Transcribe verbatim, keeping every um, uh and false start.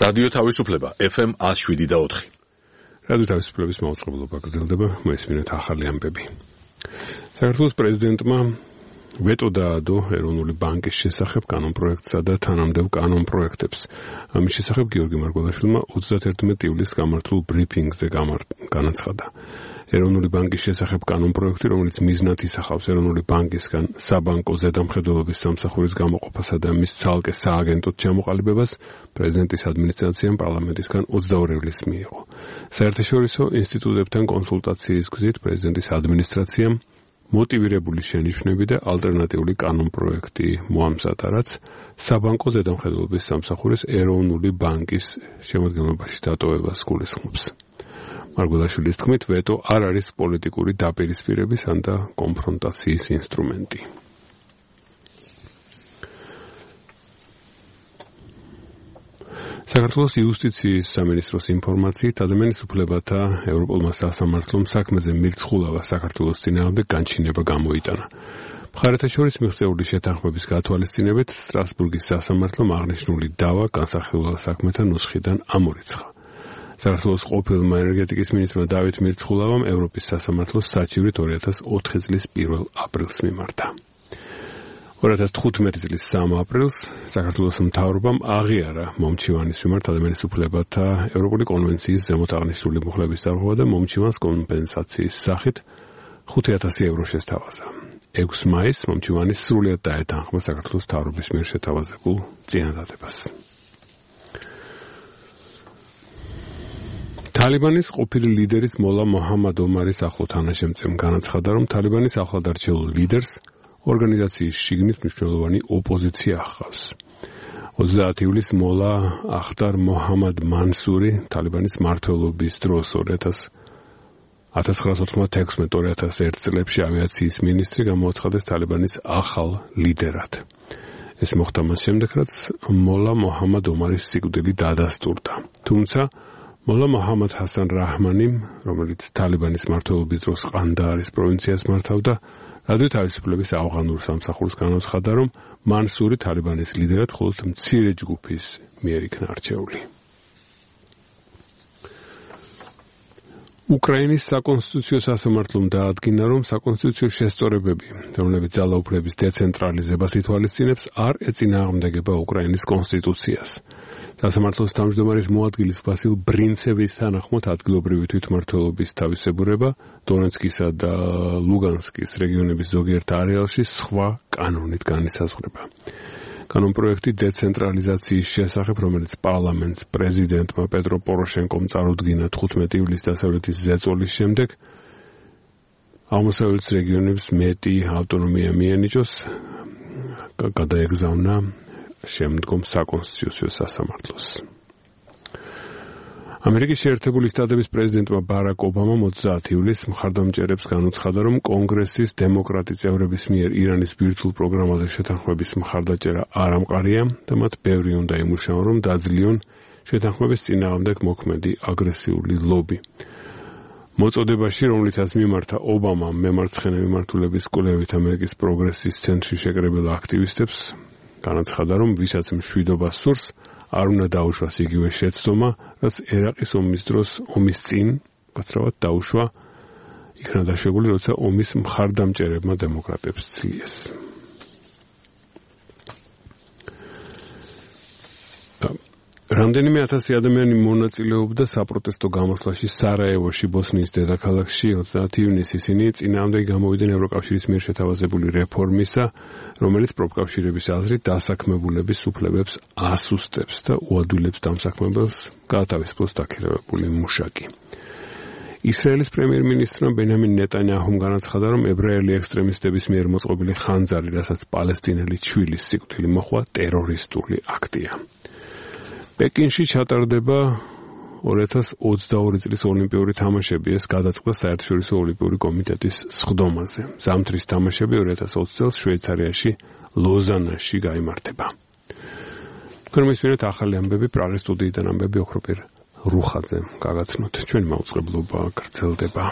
რადიო თავისუფლება ეფ ემ one oh seven point four. რადიო თავისუფლების მაუწყებლობა გრძელდება, მოისმინეთ ახალი ამბები. საქართველოს პრეზიდენტმა ვეტო დაადო ეროვნული ბანკის შესახებ კანონპროექტსა და თანამდებობ კანონპროექტებს. ამის შესახებ გიორგი მარგველაშვილმა ოცდაათი ივლისს გამართულ ბრიფინგზე განაცხადა. ეროვნული ბანკის შესახებ კანონპროექტი, რომელიც მიზნად ისახავს ეროვნული ბანკისგან საბანკო ზედამხედველობის სამსახურის გამოყოფასა და მის ცალკე სააგენტოდ ჩამოყალიბებას, პრეზიდენტის ადმინისტრაციამ პარლამენტისგან ოცდაორი ივლისს მიიღო. საერთაშორისო ინსტიტუტებთან კონსულტაციის გზით პრეზიდენტის ადმინისტრაციამ მოტივირებული შენიშვნები და ალტერნატიული კანონპროექტი მოამზადა, რაც საბანკო ზედამხედველობის სამსახურის ეროვნული ბანკის შემადგენლობაში დატოვებას გულისხმობს. მარგველაშვილის თქმით, ვეტო არ არის პოლიტიკური დაპირისპირების ან და კონფრონტაციის ინსტრუმენტი. საქართველოს იუსტიციის სამინისტროს ინფორმაციით, ადამიანის უფლებათა ევროპულმა სასამართლომ საქმეზე მირცხულავა საქართველოს წინააღმდეგ განჩინება გამოიტანა. მხარეთა შორის მიღწეული შეთანხმების გათვალისწინებით სტრასბურგის სასამართლომ აღნიშნული დავა განსახილველ საქმეთა ნუსხიდან ამორიცხა. საქართველოს ყოფილმა ენერგეტიკის მინისტრმა დავით მირცხულავამ ევროპის სასამართლოს საჩივრით ორი ათას ოთხი წლის პირველ აპრილს მიმართა. ორი ათას თხუთმეტი წლის სამი აპრილს საქართველოს მთავრობამ აღიარა მომჩივანის მიმართ ადამიანის უფლებათა ევროპული კონვენციის ზემოთ აღნიშნული მუხლების დარღვევა და მომჩივანს კომპენსაციის სახით ხუთი ათასი ევრო შესთავაზა. ექვსი მაისს მომჩივანის სრულად დაეთანხმა საქართველოს მთავრობის მიერ შეთავაზებულ წინადადებას. თალიბანის ყოფილი ლიდერის მოლა მოჰამად ომარის ახლო თანაშემწემ განაცხადა, რომ თალიბანის ახლად არჩეულ ლიდერს ორგანიზაციის შიგნით მნიშვნელოვანი ოპოზიცია ახავს. ოცდაათი ივლისს მოლა ახტარ მოჰამად მანსური თალიბანის მმართველობის დროს ათას ცხრაასი ოთხმოცდაექვსმეტ ორი ათას ერთი წლებში ავიაციის მინისტრი გამოაცხადეს თალიბანის ახალ ლიდერად. ეს მოხდა მას შემდეგ, რაც მოლა მოჰამად ომარის სიკვდილი დადასტურდა. თუმცა მოლა მოჰამად ჰასან რაჰმანიმ, რომელიც თალიბანის მმართველობის დროს ყანდაარის პროვინციას მართავდა, რადიო თავისუფლების ავღანურ სამსახურს განაცხადა, რომ მანსური თალიბანის ლიდერად მხოლოდ მცირე ჯგუფის მიერ იქნა არჩეული. უკრაინის საკონსტიტუციო სასამართლომ დაადგინა, რომ საკონსტიტუციო შესწორებები, რომლებიც ძალაუფლების დეცენტრალიზებას ითვალისწინებს, არ ეწინააღმდეგება უკრაინის კონსტიტუციას. სასამართლოს თავმჯდომარის მოადგილის ვასილ ბრინცევის თანახმად ადგილობრივი თვითმმართველობის თავისებურება დონეცკისა და ლუგანსკის რეგიონების ზოგიერთ არეალში სხვა კანონით განისაზღვრება. კანონპროექტი დეცენტრალიზაციის შესახებ, რომელიც პარლამენტს პრეზიდენტმა პეტრო პოროშენკომ წარუდგინა თხუთმეტი ივლისს დასავლეთის ზეწოლის შემდეგ, აღმოსავლეთის რეგიონებს მეტი ავტონომია მიენიჭოს, გადაეგზავნა შემდგომ საკონსტიტუციო სასამართლოს. ამერიკის შეერთებული შტატების პრეზიდენტმა ბარაკ ობამამ ოცდაათი ივლისს მხარდამჭერებს განუცხადა, რომ კონგრესის დემოკრატი წევრების მიერ ირანის ბირთვულ პროგრამაზე შეთანხმების მხარდაჭერა არ ამყარია და მათ ბევრი უნდა იმუშაონ, რომ დაძლიონ შეთანხმების წინააღმდეგ მოქმედი აგრესიული ლობი. მოწოდებაში, რომლითაც მიმართა ობამამ მემარცხენე მიმართულების კვლევით ამერიკის პროგრესის ცენტრში შეკრებილ აქტივისტებს, განაცხადა, რომ ვისაც მშვიდობა სურს, არ უნდა დაუშვას იგივე შეცდომა, რაც ერაყის ომის დროს ომის წინ გაცრავად დაუშვა, იქნა დაშვებული, როცა ომის მხარდამჭერებმა დემოკრატებს ცლიეს. რამდენიმე ათასი ადამიანი მონაწილეობდა საპროტესტო გამოსვლაში სარაევოში, ბოსნიის დედაქალაქში. ოცდაათი ივნისს ისინი წინააღმდეგ გამოვიდნენ ევროკავშირის მიერ შეთავაზებული რეფორმისა, რომელიც პროფკავშირების აზრით დასაქმებულების უფლებებს ასუსტებს და უადვილებს დამსაქმებელს გაათავისუფლოს დაქირავებული მუშაკი. ისრაელის პრემიერ-მინისტრმა ბენიამინ ნეტანიაჰუმ განაცხადა, რომ ებრაელი ექსტრემისტების მიერ მოწყობილი ხანძარი, რასაც პალესტინელი ჩვილის სიკვდილი მოჰყვა, ტერორისტული აქტია. პეკინში ჩატარდება ორი ათას ოცდაორი წლის ოლიმპიური თამაშები, ეს გადაწყდა საერთაშორისო ოლიმპიური კომიტეტის სხდომაზე. ზამთრის თამაშები ორი ათას ოცი წელს შვეიცარიაში ლოზანაში გაიმართება. თქვენ მისმენთ ახალი ამბები პრაღის სტუდიიდან ამბები ოქროპირ რუხაძე გაგაცნოთ. ჩვენი მაუწყებლობა გრძელდება.